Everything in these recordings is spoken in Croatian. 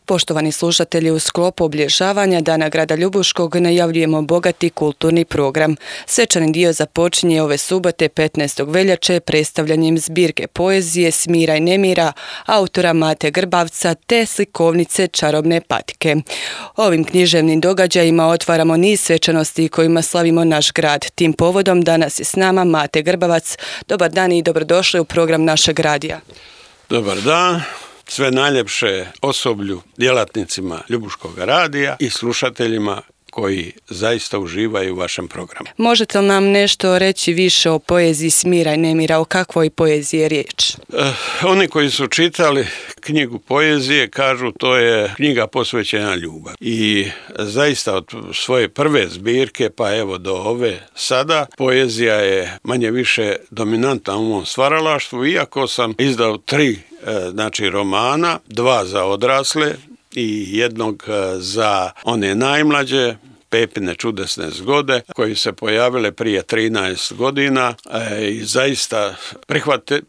Poštovani slušatelji, u sklopu obilježavanja Dana grada Ljubuškog najavljujemo bogati kulturni program. Svečani dio započinje ove subote 15. veljače predstavljanjem zbirke poezije Smira i nemira autora Mate Grbavca te slikovnice Čarobne patike. Ovim književnim događajima otvaramo niz svečanosti kojima slavimo naš grad. Tim povodom danas je s nama Mate Grbavac. Dobar dan i dobrodošli u program našeg radija. Dobar dan. Sve najljepše osoblju, djelatnicima Ljubuškog radija i slušateljima koji zaista uživaju u vašem programu. Možete li nam nešto reći više o poeziji Smira i nemira, o kakvoj poeziji je riječ? Oni koji su čitali knjigu poezije kažu to je knjiga posvećena ljubavi. I zaista od svoje prve zbirke pa evo do ove sada poezija je manje više dominantna u mom stvaralaštvu, iako sam izdao 3 romana, 2 za odrasle i jednog za one najmlađe, Pepine čudesne zgode, koji se pojavile prije 13 godina i zaista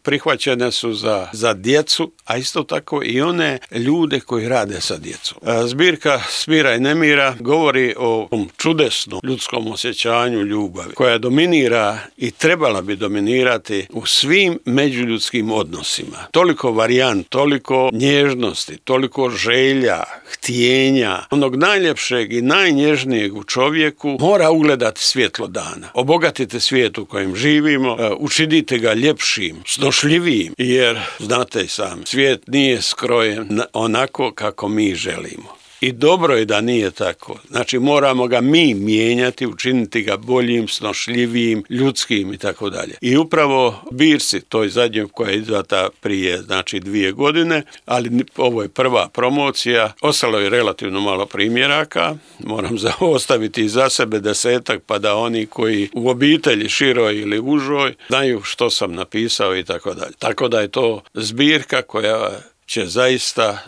prihvaćene su za djecu, a isto tako i one ljude koji rade sa djecom. Zbirka Smira i nemira govori o čudesnom ljudskom osjećanju ljubavi, koja dominira i trebala bi dominirati u svim međuljudskim odnosima. Toliko varijant, toliko nježnosti, toliko želja, htjenja, onog najljepšeg i najnježnijeg u čovjeku mora ugledati svjetlo dana. Obogatite svijet u kojem živimo, učinite ga ljepšim, snošljivijim, jer znate i sami, svijet nije skrojen onako kako mi želimo. I dobro je da nije tako. Znači moramo ga mi mijenjati, učiniti ga boljim, snošljivijim, ljudskim i tako dalje. I upravo zbirci, toj zadnjoj koja je izdata prije 2 godine, ali ovo je prva promocija, ostalo je relativno malo primjeraka, moram ostaviti za sebe 10 pa da oni koji u obitelji široj ili užoj znaju što sam napisao i tako dalje. Tako da je to zbirka koja će zaista,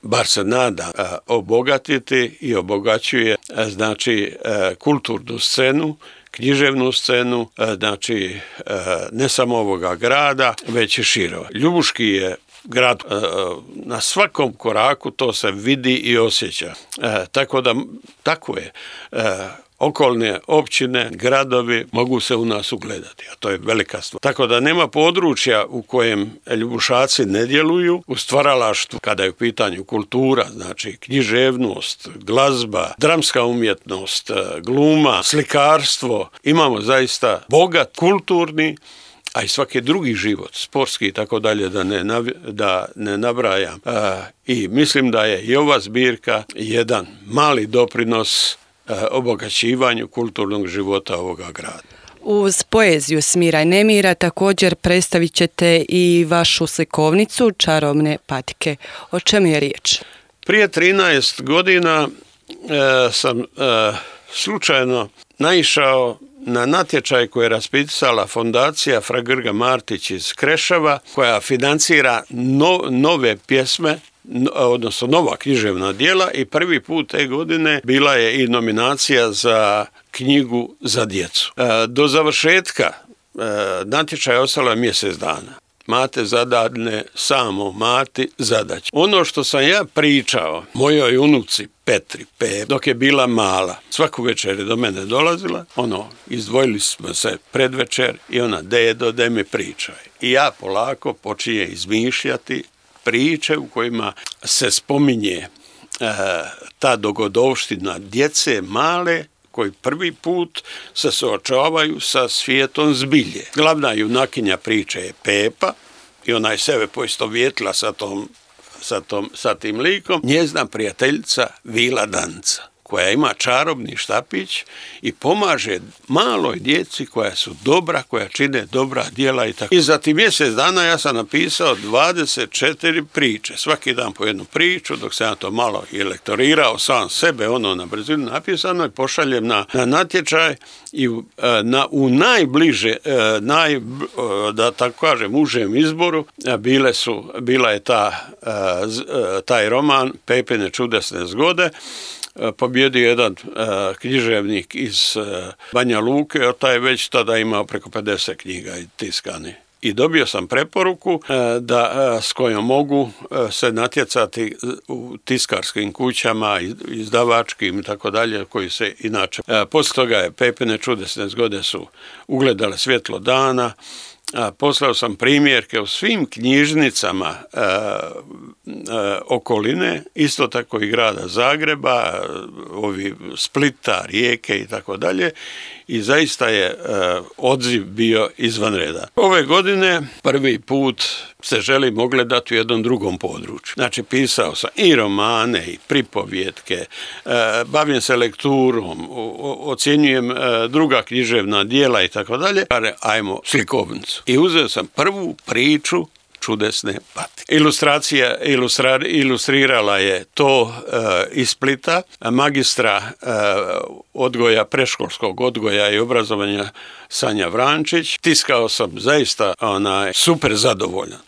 bar se nada, obogatiti i obogaćuje kulturnu scenu, književnu scenu, ne samo ovoga grada, već i širo. Ljubuški je grad, na svakom koraku to se vidi i osjeća. Tako je. Okolne općine, gradovi mogu se u nas ugledati, a to je velika stvar. Tako da nema područja u kojem Ljubušaci ne djeluju u stvaralaštvu kada je u pitanju kultura, znači književnost, glazba, dramska umjetnost, gluma, slikarstvo. Imamo zaista bogat kulturni, a i svaki drugi život, sportski i tako dalje, da ne nabrajam. I mislim da je i ova zbirka jedan mali doprinos obogaćivanju kulturnog života ovoga grada. Uz poeziju Smira i nemira također predstavit ćete i vašu slikovnicu Čarobne patike. O čemu je riječ? Prije 13 godina sam slučajno naišao na natječaj koji je raspisala fondacija Fra Grga Martić iz Kreševa, koja financira nove pjesme, odnosno nova književna djela, i prvi put te godine bila je i nominacija za knjigu za djecu. Do završetka natječaja ostalo je mjesec dana. Mate zadane samo Mati zadaće. Ono što sam ja pričao mojoj unuci Petri, dok je bila mala, svaku večer je do mene dolazila, izdvojili smo se predvečer i ona, dedo, daj mi pričaj. I ja polako počinje izmišljati priče u kojima se spominje ta dogodovština djece male koji prvi put se suočavaju sa svijetom zbilje. Glavna junakinja priče je Pepa i ona je sebe poistovjetila sa tim likom. Njezina prijateljica Vila Danca, koja ima čarobni štapić i pomaže maloj djeci koja su dobra, koja čine dobra djela i tako. I za ti mjesec dana ja sam napisao 24 priče, svaki dan po jednu priču, dok sam ja to malo i lektorirao sam sebe, na brzinu napisano, i pošaljem na natječaj i u najbliže, da tako kažem, užem izboru bila je taj roman Pepine čudesne zgode. Pobjedio jedan književnik iz Banja Luke, taj je već tada imao preko 50 knjiga i tiskani. i dobio sam preporuku da s kojom mogu se natjecati u tiskarskim kućama, izdavačkim i tako dalje, koji se inače. Poslije toga je Pepine čudesne zgode su ugledale svjetlo dana. Poslao sam primjerke u svim knjižnicama okoline, isto tako i grada Zagreba, ovi Splita, Rijeke i tako dalje, i zaista je odziv bio izvan reda. Ove godine prvi put se želim ogledati u jednom drugom području. Znači, pisao sam i romane i pripovjetke, bavim se lekturom, ocjenjujem druga književna djela i tako dalje. Ajmo slikovnicu. I uzeo sam prvu priču Čudesne patike. Ilustrirala je to iz Splita, magistra odgoja, predškolskog odgoja i obrazovanja Sanja Vrančić. Tiskao sam zaista super zadovoljan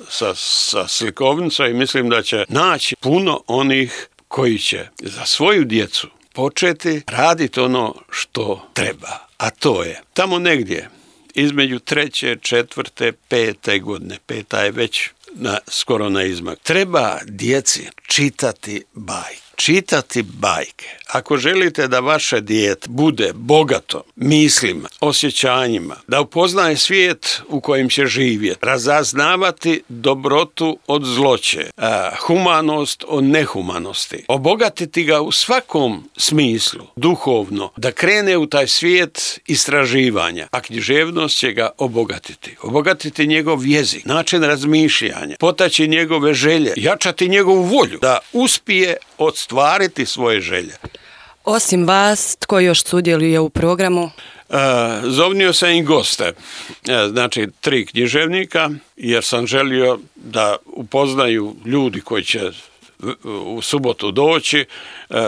sa slikovnicom i mislim da će naći puno onih koji će za svoju djecu početi raditi ono što treba. A to je tamo negdje između 3., 4., 5. godine, 5. je već skoro na izmak. Treba djeci čitati bajke. Ako želite da vaše dijete bude bogato mislima, osjećanjima, da upoznaje svijet u kojem će živjeti, razaznavati dobrotu od zloće, humanost od nehumanosti, obogatiti ga u svakom smislu, duhovno, da krene u taj svijet istraživanja, a književnost će ga obogatiti njegov jezik, način razmišljanja, potaći njegove želje, jačati njegovu volju, da uspije ostvariti svoje želje. Osim vas, tko još sudjeluje u programu? Zovnio sam i goste, znači 3 književnika, jer sam želio da upoznaju ljudi koji će u subotu doći,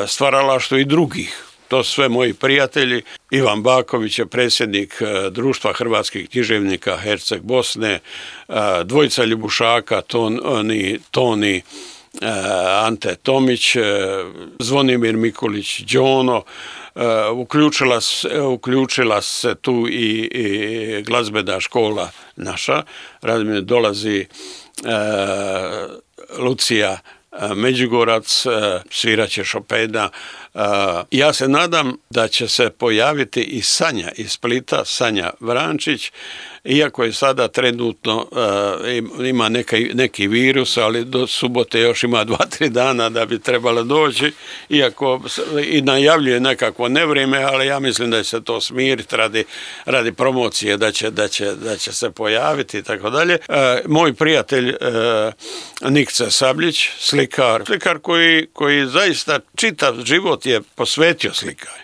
stvaralaštvo i drugih. To su sve moji prijatelji. Ivan Baković je predsjednik Društva hrvatskih književnika Herceg Bosne, dvojica Ljubušaka, Toni Ante Tomić, Zvonimir Mikulić Đono, uključila se tu i glazbena škola naša, dolazi Lucija Međugorac, svirat će Chopina. Ja se nadam da će se pojaviti i Sanja iz Splita, Sanja Vrančić, iako je sada trenutno ima neki virus, ali do subote još ima 2-3 dana da bi trebalo doći, iako i najavljuje nekakvo nevrijeme, ali ja mislim da će se to smiriti radi promocije, da će se pojaviti i tako dalje. Moj prijatelj Nikce Sabljić, slikar koji zaista čitav život je posvetio slikanje.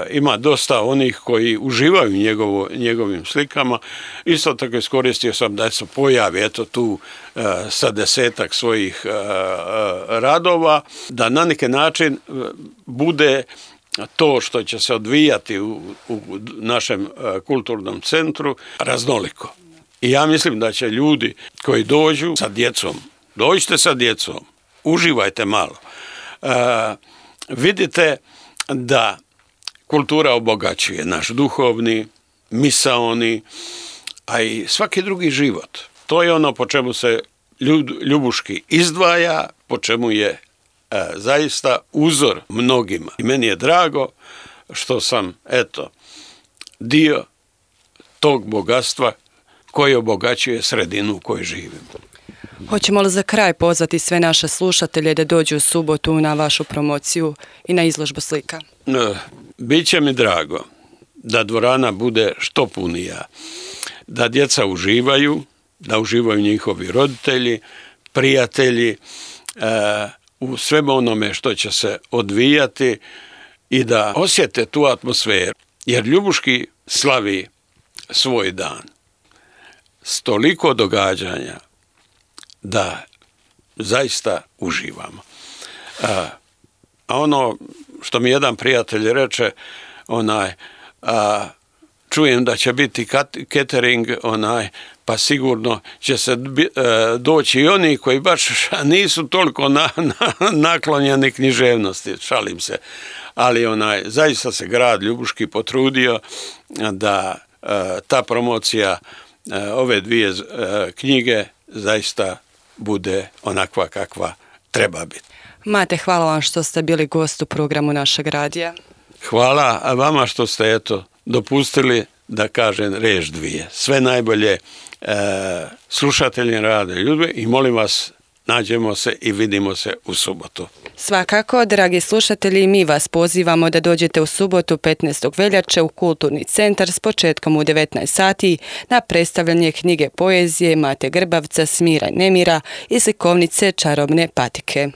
Ima dosta onih koji uživaju njegovim slikama. Isto tako iskoristio sam da se pojavi eto tu sa 10-ak svojih radova, da na neki način bude to što će se odvijati u našem kulturnom centru raznoliko. I ja mislim da će ljudi koji dođu sa djecom, dođite sa djecom, uživajte malo. Vidite da kultura obogaćuje naš duhovni, misaoni, a i svaki drugi život. To je ono po čemu se Ljubuški izdvaja, po čemu je zaista uzor mnogima. I meni je drago što sam, dio tog bogatstva koji obogaćuje sredinu u kojoj živim. Hoćemo li za kraj pozvati sve naše slušatelje da dođu u subotu na vašu promociju i na izložbu slika? Biće mi drago da dvorana bude što punija, da djeca uživaju, da uživaju njihovi roditelji, prijatelji, u svemu onome što će se odvijati i da osjete tu atmosferu. Jer Ljubuški slavi svoj dan s toliko događanja da zaista uživamo. A ono što mi jedan prijatelj reče, čujem da će biti catering, pa sigurno će se doći i oni koji baš nisu toliko naklonjeni književnosti, šalim se. Ali zaista se grad Ljubuški potrudio da ta promocija ove dvije knjige zaista bude onakva kakva treba biti. Mate, hvala vam što ste bili gost u programu našeg radija. Hvala vama što ste dopustili da kažem riječ dvije. Sve najbolje slušatelji Radio Ljudbe i molim vas, nađemo se i vidimo se u subotu. Svakako, dragi slušatelji, mi vas pozivamo da dođete u subotu 15. veljače u Kulturni centar s početkom u 19 sati na predstavljanje knjige poezije Mate Grbavca Smira i nemira i slikovnice Čarobne patike.